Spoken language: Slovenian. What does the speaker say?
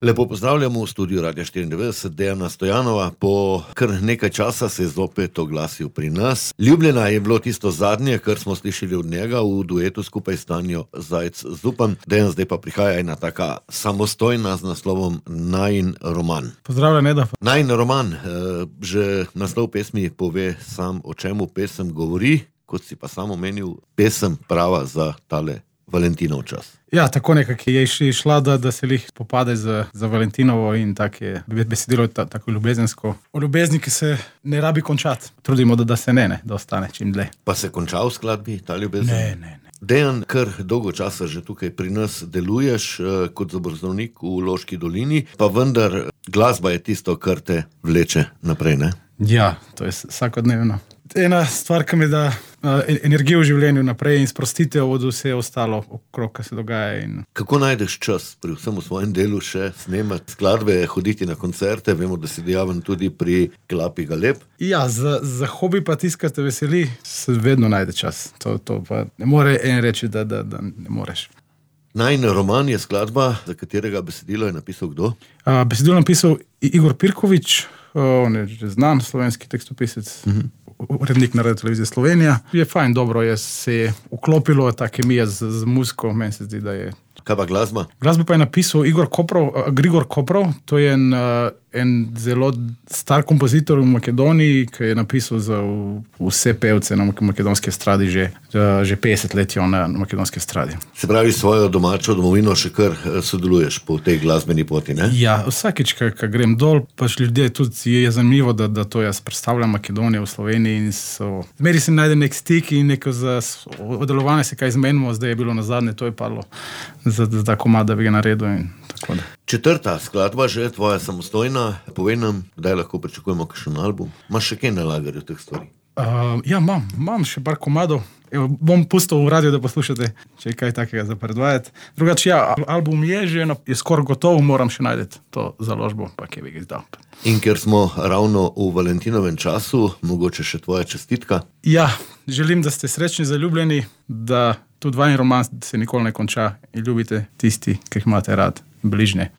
Lepo pozdravljamo v studiu Radia 94, Dejana Stojanova. Po kar nekaj časa se je zopet oglasil pri nas. Ljubljena je bilo tisto zadnje, kar smo slišali od njega v duetu skupaj s Tanjo Zajc-Zupan. Dejan, zdaj pa prihaja ena taka samostojna z naslovom Najin roman. Pozdravljen, Eda. Najin roman, že naslov pesmi pove sam, o čemu pesem govori, kot si pa sam omenil, pesem prava za tale Valentinov čas. Ja, tako nekako je išla, da se lih popade za Valentinovo in tako je besedilo tako ljubezensko. O ljubezni, ki se ne rabi končati. Trudimo, da se da ostane čim dlje. Pa se konča v skladbi ta ljubezen? Ne. Dejan, kar dolgo časa že tukaj pri nas deluješ kot zobozdravnik v Loški dolini, pa vendar glasba je tisto, kar te vleče naprej, ne? Ja, to je vsakodnevno. Ena stvar, ki mi da energijo v življenju naprej in sprostitev od vse ostalo okrog, kar se dogaja. Kako najdeš čas pri vsem v svojem delu še snemati skladbe, hoditi na koncerte? Vemo, da si dejaven tudi pri Klapi Galeb. Ja, za hobi pa tisto, kar te veseli, se vedno najde čas. To pa ne more en reči, da ne moreš. Najin roman je skladba, za katerega besedilo je napisal kdo? Besedilo je napisal Igor Pirkovič, on je že znan slovenski tekstopisec, urednik na Radioteleviziji Slovenija. Je fajn, dobro se je vklopilo ta kemija z muziko, meni se zdi, da je. Kaj pa glasba? Glasbo pa je napisal Grigor Koprov, to je en zelo star kompozitor v Makedoniji, ki je napisal za vse pevce na makedonski estradi že 50 let na makedonski estradi. Se pravi, svojo domačo domovino še kar sodeluješ po tej glasbeni poti, ne? Ja, vsakič, ko grem dol, pač ljudje tudi je zanimivo, da to jaz predstavljam Makedonijo v Sloveniji in zmeri se najde nek stik in neko oddelovanje se kaj zmenimo, zdaj je bilo nazadnje, to je padlo za komad, da bi ga naredil in tako da. Četrta skladba, že tvoja samostojna, povej nam, kdaj lahko pričakujemo kakšen album. Imaš še kaj na lagerju teh stvari? Ja, imam še par komadov. Evo, bom pustil v radio, da poslušate, če je kaj takega za predvajati. Drugače, ja, album je skoraj gotov, moram še najti to založbo, pa kje bi ga izdal. In ker smo ravno v Valentinovem času, mogoče še tvoja čestitka? Ja, želim, da ste srečni, zaljubljeni, da tudi vajin roman se nikoli ne konča in ljubite tisti, ki jih imate rad, bližnje.